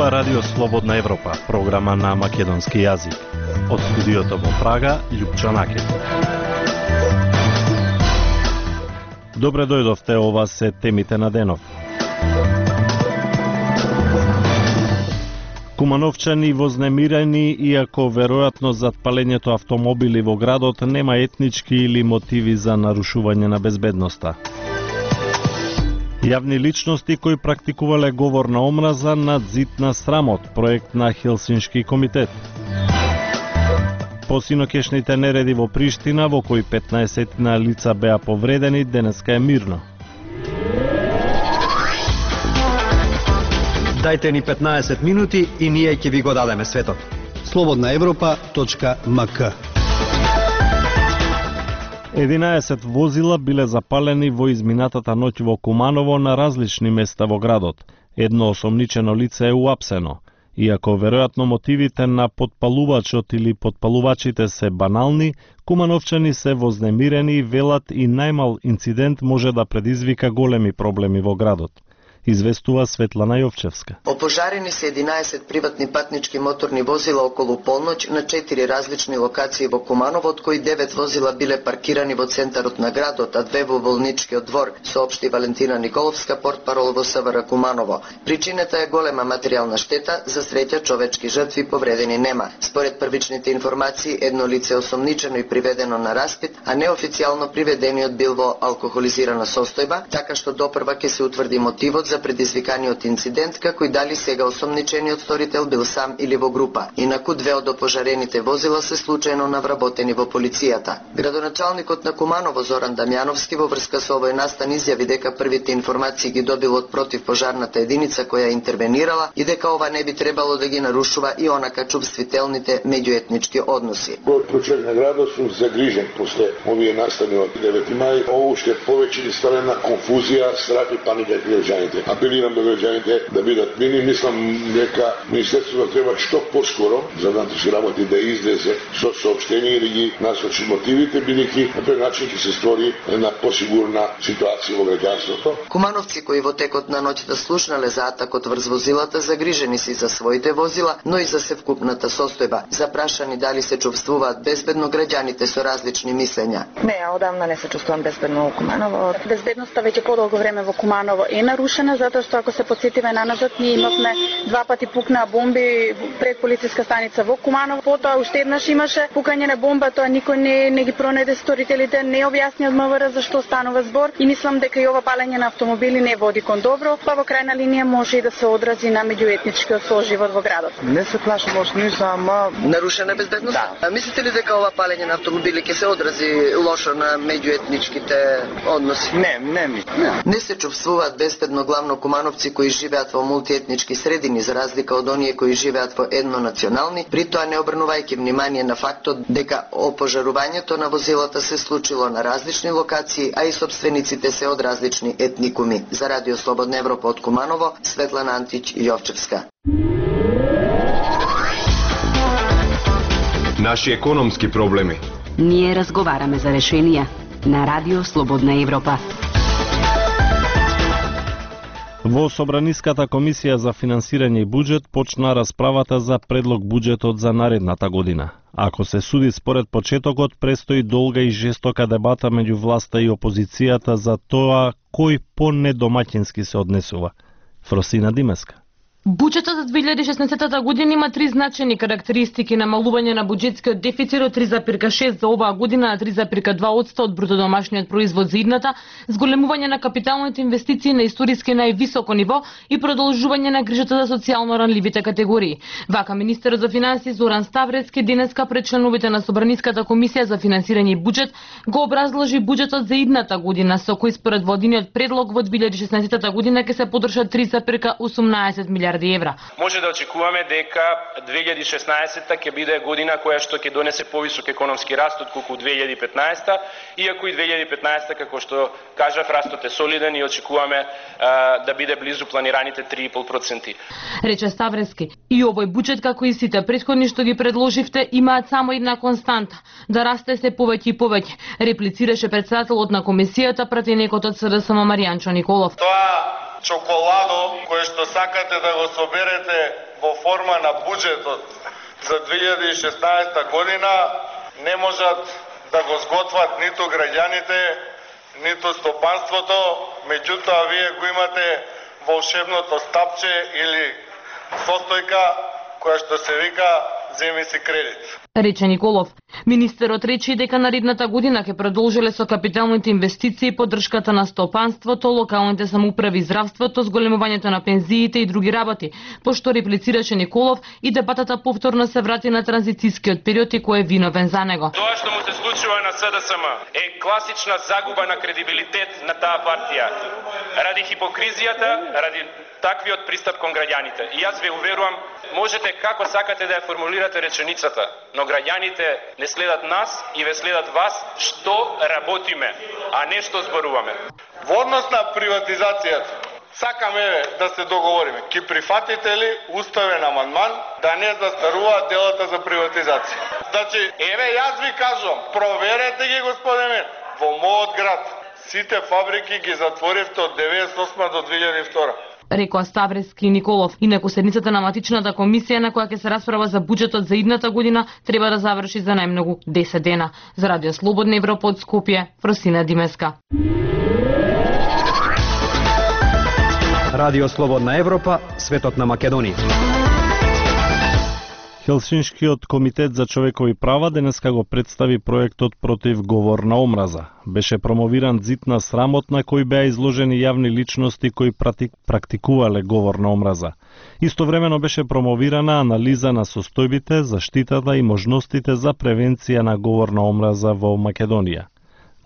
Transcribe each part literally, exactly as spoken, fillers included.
зборува Радио Слободна Европа, програма на македонски јазик. Од студиото во Прага, Љупчо Накев. Добре дојдовте, ова се темите на денов. Кумановчани вознемирени, иако веројатно зад палењето автомобили во градот нема етнички или мотиви за нарушување на безбедноста. Јавни личности кои практикувале говор на омраза над зид на срамот, проект на Хелсиншки комитет. По синокешните нереди во Приштина, во кои петнаесет на лица беа повредени, денеска е мирно. Дајте ни петнаесет минути и ние ќе ви го дадеме светот. слободна европа точка ем ка. единаесет возила биле запалени во изминатата ноќ во Куманово на различни места во градот. Едно осомничено лице е уапсено. Иако веројатно мотивите на подпалувачот или подпалувачите се банални, кумановчани се вознемирени и велат и најмал инцидент може да предизвика големи проблеми во градот. Известува Светлана Јовчевска. Опожарени се единаесет приватни патнички моторни возила околу полноќ на четири различни локации во Куманово, од кои девет возила биле паркирани во центарот на градот, а две во болничкиот двор, соопшти Валентина Николовска, портпарол во СВР Куманово. Причината е голема материјална штета, за среќа човечки жртви повредени нема. Според првичните информации, едно лице осомничено и приведено на распит, а неофицијално приведениот бил во алкохолизирана состојба, така што допрва ќе се утврди мотивот за предизвиканиот инцидент, како и дали сега осомничениот сторител бил сам или во група. Инаку две од опожарените возила се случајно навработени во полицијата. Градоначалникот на Куманово Зоран Дамјановски во врска со овој настан изјави дека првите информации ги добил од противпожарната единица која интервенирала и дека ова не би требало да ги нарушува и онака чувствителните меѓуетнички односи. Од прочек на градот сум загрижен после овие настани од девети мај. Ово уште повеќе ни ставе на конфузија, страх и паника кај граѓаните. Апелирам до граѓаните да бидат мирни. Мислам дека Министерството треба што поскоро за внатрешни работи да излезе со соопштение и да ги насочи мотивите, бидејќи на тој начин ќе се створи една посигурна ситуација во граѓанството. Кумановци кои во текот на ноќта слушнале за атакот врз возилата загрижени си за своите возила, но и за севкупната состојба. Запрашани дали се чувствуваат безбедно, граѓаните со различни мислења. Не, одамна не се чувствувам безбедно во Куманово. Безбедноста веќе подолго време во Куманово е нарушена, затоа што ако се потсетиме наназад, ние имавме два пати пукнаа бомби пред полициска станица во Куманово, потоа уште еднаш имаше пукање на бомба, тоа никој не, не ги пронајде сторителите, не објасни од МВР за што станува збор и мислам дека и ова палење на автомобили не води кон добро, па во крајна линија може и да се одрази на меѓуетничкиот соживот во градот. Не се плашам од ништо, ама нарушена безбедност? Да. А мислите ли дека ова палење на автомобили ќе се одрази лошо на меѓуетничките односи? Не, не ми. Не, не се чувствуваат безбедно главно кумановци кои живеат во мултиетнички средини, за разлика од оние кои живеат во еднонационални, при тоа не обрнувајќи внимание на фактот дека опожарувањето на возилата се случило на различни локации, а и собствениците се од различни етникуми. За Радио Слободна Европа од Куманово, Светлана Антич Јовчевска. Наши економски проблеми. Ние разговараме за решенија на Радио Слободна Европа. Во Собраниската комисија за финансирање и буџет почна расправата за предлог буџетот за наредната година. Ако се суди според почетокот, престои долга и жестока дебата меѓу власта и опозицијата за тоа кој по-недомаќински се однесува. Фросина Димеска. Буџетот за две илјади и шеснаесетта година има три значајни карактеристики: намалување на буџетскиот дефицит од три зарез шест за оваа година на три зарез два одсто од брутодомашниот производ за идната, зголемување на капиталните инвестиции на историски највисоко ниво и продолжување на грижата за социјално ранливите категории. Вака министерот за финансии Зоран Ставрецки денеска пред членовите на Собраниската комисија за финансирање и буџет го образложи буџетот за идната година, со кој според владиниот предлог во две илјади и шеснаесетта година ќе се подршат три зарез осумнаесет милијарди евра. Може да очекуваме дека две илјади и шеснаесетта ќе биде година која што ќе донесе повисок економски раст отколку две илјади и петнаесетта, иако и две илјади и петнаесетта, како што кажав, растот е солиден и очекуваме а, да биде близу планираните три и пол проценти. Рече Ставрески, и овој буџет, како и сите претходни што ги предложивте, имаат само една константа – да расте се повеќе и повеќе, реплицираше председателот на комисијата, пратеникот од СДСМ Маријанчо Николов. Тоа чоколадо кое што сакате да го соберете во форма на буџетот за две илјади и шеснаесета година не можат да го сготват ниту граѓаните, ниту стопанството, меѓутоа вие го имате волшебното стапче или состојка која што се вика земи си кредит. Рече Николов. Министерот рече и дека наредната година ќе продолжиле со капиталните инвестиции, поддршката на стопанството, локалните самоуправи, здравството, зголемувањето на пензиите и други работи. Пошто реплицираше Николов и дебатата повторно се врати на транзицијскиот период и кој е виновен за него. Тоа што му се случува на СДСМ е класична загуба на кредибилитет на таа партија. Ради хипокризијата, ради таквиот пристап кон граѓаните. И јас ве уверувам, можете како сакате да ја формулирате реченицата, но граѓаните не следат нас и ве следат вас што работиме, а не што зборуваме. Во однос на приватизацијата, сакаме да се договориме. Ки прифатите ли уставен амандман да не застарува делата за приватизација? Значи, еве јас ви кажувам, проверете ги, господине, во мојот град. Сите фабрики ги затворивте од деветдесет и осма до две илјади и втора. Рекоа Ставрески и Николов. Инаку седницата на матичната комисија на која ќе се расправа за буџетот за идната година треба да заврши за најмногу десет дена. За Радио Слободна Европа од Скопје, Фросина Димеска. Радио Слободна Европа, светот на Македонија. Хелсиншкиот комитет за човекови права денеска го представи проектот против говор на омраза. Беше промовиран зид на срамот на кој беа изложени јавни личности кои практикувале говор на омраза. Истовремено беше промовирана анализа на состојбите, заштитата и можностите за превенција на говор на омраза во Македонија.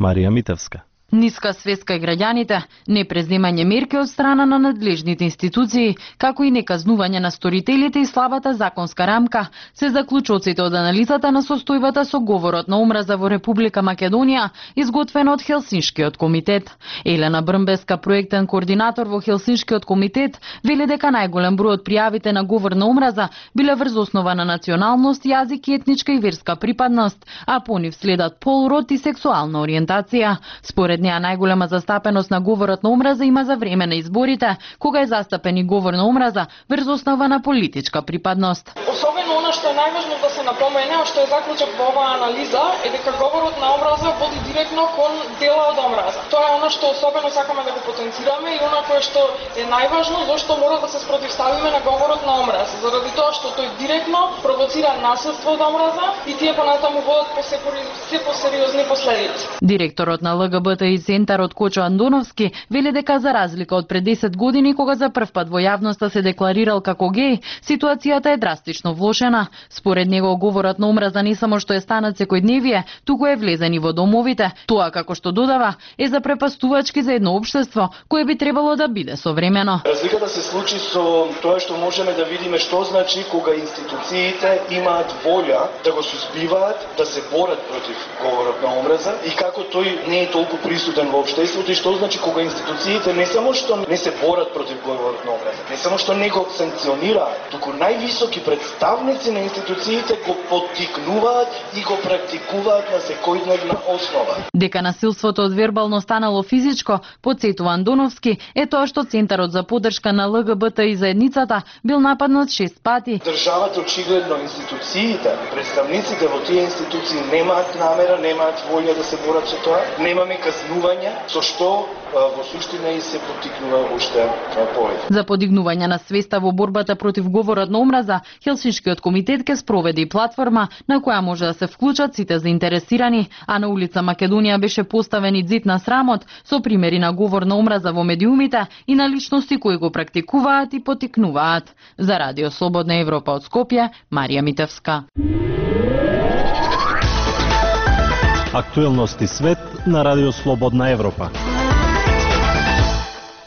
Марија Митевска. Ниска свест кај граѓаните, непреземање мерки од страна на надлежните институции, како и неказнување на сторителите и слабата законска рамка, се заклучоците од анализата на состојбата со говорот на омраза во Република Македонија, изготвена од Хелсиншкиот комитет. Елена Брмбеска, проектен координатор во Хелсиншкиот комитет, вели дека најголем број од пријавите на говор на омраза биле врз основа на националност, јазик и етничка и верска припадност, а по нив следат пол, род и сексуална ориентација. Според неа најголема застапеност на говорот на омраза има за време на изборите, кога е застапен и говор на омраза врз основа на политичка припадност. Особено она што е најважно да се напомене, а што е заклучок во оваа анализа, е дека говорот на омраза води директно кон дела од омраза. Тоа е она што особено сакаме да го потенцираме и она кое што е најважно, зашто мора да се спротивставиме на говорот на омраза, заради тоа што тој директно провоцира насилство од омраза и тие понатаму водат по се посериозни последици. Директорот на Л Г Б Т и Центарот Кочо Андоновски вели дека за разлика од пред десет години кога за прв пат во јавноста се декларирал како геј, ситуацијата е драстично влошена. Според него говорот на омраза не само што е станат секојдневие, туку е влезен и во домовите. Тоа, како што додава, е запрепастувачки за едно општество кое би требало да биде современо. Разликата се случи со тоа што можеме да видиме што значи кога институциите имаат волја да го сузбиваат, да се борат против говорот на омраза и како тој не е толку присутен во општеството и што значи кога институциите не само што не се борат против говорот на омраза, не само што не го санкционираат, туку највисоки представници на институциите го поттикнуваат и го практикуваат на секојдневна основа. Дека насилството од вербално станало физичко, потсетува Андоновски, е тоа што Центарот за поддршка на Л Г Б Т и заедницата бил нападнат шест пати. Државата очигледно институциите, представниците во тие институции немаат намера, немаат волја да се борат со тоа, немаме казнување, со што во суштина и се поттикнува уште повеќе. За подигнување на свеста во борбата против говорот на омраза, Хелсиншкиот комитет ќе спроведе и платформа на која може да се вклучат сите заинтересирани, а на улица Македонија беше поставен и зид на срамот со примери на говор на омраза во медиумите и на личности кои го практикуваат и поттикнуваат. За Радио Слободна Европа од Скопје, Марија Митевска. Актуелности свет на Радио Слободна Европа.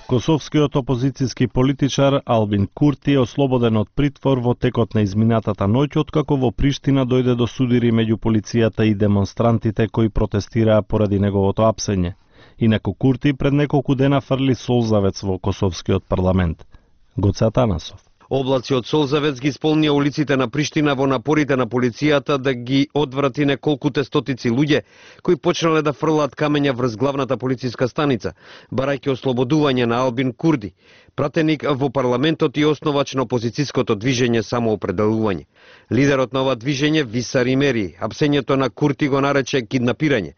Косовскиот опозицијски политичар Албин Курти е ослободен од притвор во текот на изминатата ноќ, откако во Приштина дојде до судири меѓу полицијата и демонстрантите кои протестираа поради неговото апсење. Инаку Курти пред неколку дена фрли солзавец во Косовскиот парламент. Гоце Атанасов. Облаци од солзавец ги исполнија улиците на Приштина во напорите на полицијата да ги одврати неколкуте стотици луѓе кои почнале да фрлаат камења врз главната полициска станица, барајќи ослободување на Албин Курди, пратеник во парламентот и основач на опозицијското движење Самоопределување. Лидерот на ова движење, Виса Римери, апсењето на Курти го нарече киднапирање.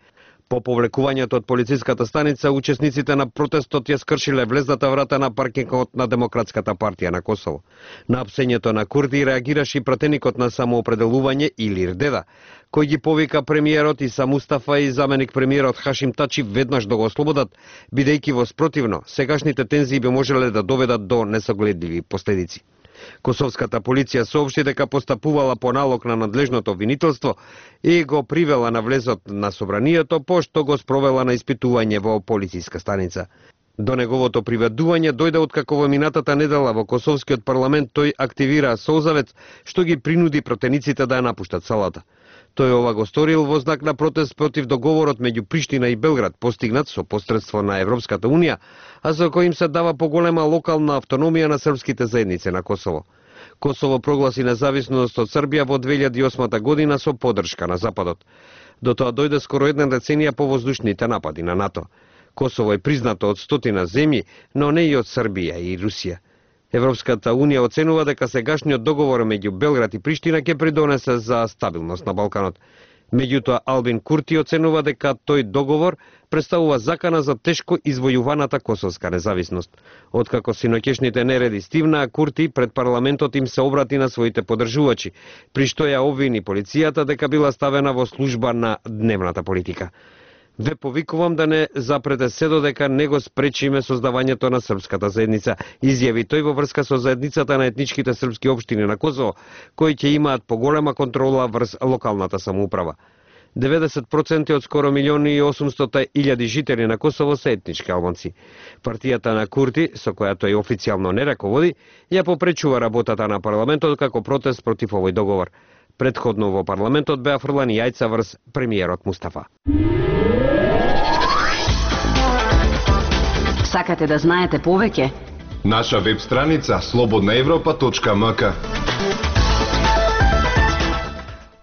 По повлекувањето од полициската станица, учесниците на протестот ја скршиле влезната врата на паркингот на Демократската партија на Косово. На апсењето на Курди реагираше и пратеникот на Самоопределување Илир Деда, кој ги повика премиерот Иса Мустафа и заменик премиерот Хашим Тачи веднаш да го ослободат, бидејќи во спротивно, сегашните тензии би можеле да доведат до несогледливи последици. Косовската полиција соопшти дека постапувала по налог на надлежното обвинителство и го привела на влезот на собранието, пошто го спровела на испитување во полициска станица. До неговото приведување дојде откако во минатата недела во Косовскиот парламент тој активира солзавец, што ги принуди протениците да ја напуштат салата. Тој ова го сторил во знак на протест против договорот меѓу Приштина и Белград, постигнат со посредство на Европската унија, а за кој им се дава поголема локална автономија на српските заедници на Косово. Косово прогласи независност од Србија во две илјади и осма година со поддршка на Западот. До тоа дојде скоро една деценија по воздушните напади на НАТО. Косово е признато од стотина земји, но не и од Србија и Русија. Европската унија оценува дека сегашниот договор меѓу Белград и Приштина ќе придонесе за стабилност на Балканот. Меѓутоа, Албин Курти оценува дека тој договор представува закана за тешко извојуваната косовска независност. Откако синоќешните нереди стивнаа, Курти пред парламентот им се обрати на своите поддржувачи, при што ја обвини полицијата дека била ставена во служба на дневната политика. Ве повикувам да не запрете се додека не го спречиме создавањето на српската заедница, изјави тој во врска со заедницата на етничките српски општини на Косово, кои ќе имаат поголема контрола врз локалната самоуправа. деветдесет проценти од скоро милиони и осумстотини илјади жители на Косово се етнички албанци. Партијата на Курти, со која тој официјално не раководи, ја попречува работата на парламентот како протест против овој договор. Предходно во парламентот беа фрлани јајца врз премиерот Мустафа. Сакате да знаете повеќе? Наша веб страница слободна европа точка м к.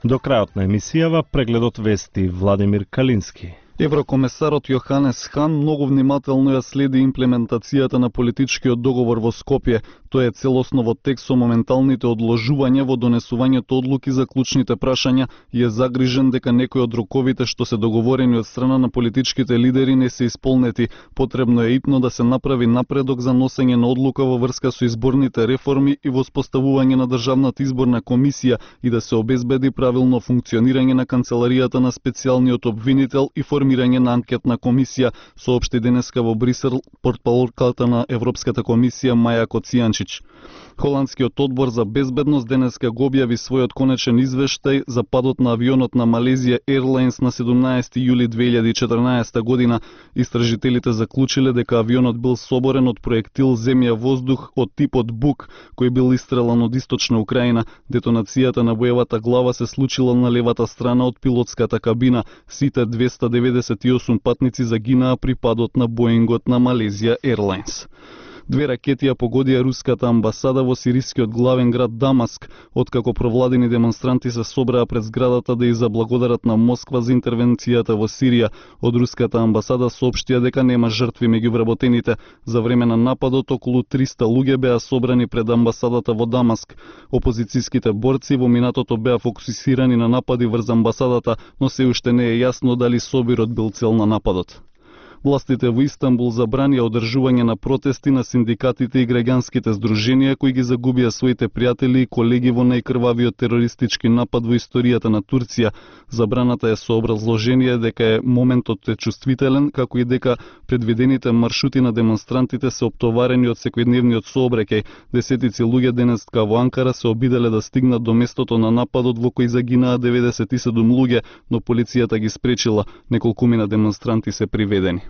До крајот на емисијава прегледот вести Владимир Калински. Еврокомесарот Јоханес Хан многу внимателно ја следи имплементацијата на политичкиот договор во Скопје. Тој е целосно во текст со моменталните одложувања во донесувањето одлуки за клучните прашања и е загрижен дека некои од роковите што се договорени од страна на политичките лидери не се исполнети. Потребно е итно да се направи напредок за носење на одлука во врска со изборните реформи и воспоставување на државната изборна комисија и да се обезбеди правилно функционирање на канцеларијата на специјалниот обвинител и формирање на анкетна комисија, соопшти денеска во Брисел портпаролката на Европската комисија Маја Коцијанчич. Холандскиот одбор за безбедност денеска го објави својот конечен извештај за падот на авионот на Malaysia Airlines на седумнаесети јули две илјади и четрнаесета година. Истражителите заклучиле дека авионот бил соборен од проектил земја-воздух од типот Бук, кој бил истрелан од источна Украина. Детонацијата на боевата глава се случила на левата страна од пилотската кабина. Сите двеста деветдесет и осум патници загинаа при падот на Боингот на Malaysia Airlines. Две ракети ја погодија руската амбасада во сирискиот главен град Дамаск, откако провладени демонстранти се собраа пред зградата да ја заблагодарат на Москва за интервенцијата во Сирија. Од руската амбасада соопштија дека нема жртви меѓу вработените. За време на нападот околу триста луѓе беа собрани пред амбасадата во Дамаск. Опозицијските борци во минатото беа фокусирани на напади врз амбасадата, но се уште не е јасно дали собирот бил цел на нападот. Властите во Истанбул забранија одржување на протести на синдикатите и граѓанските здруженија кои ги загубија своите пријатели и колеги во најкрвавиот терористички напад во историјата на Турција. Забраната е со образложение дека е моментот е чувствителен, како и дека предвидените маршрути на демонстрантите се оптоварени од секојдневниот сообраќај. Десетици луѓе денеска во Анкара се обиделе да стигнат до местото на нападот во кој загинаа деветдесет и седум луѓе, но полицијата ги спречила. Неколкумина демонстранти се приведени.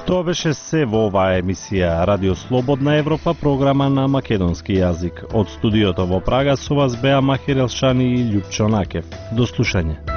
Тоа беше се во оваа емисија Радио Слободна Европа, програма на македонски јазик. Од студиото во Прага со вас беа Махир Елшани и Љупчо Накев. До слушање.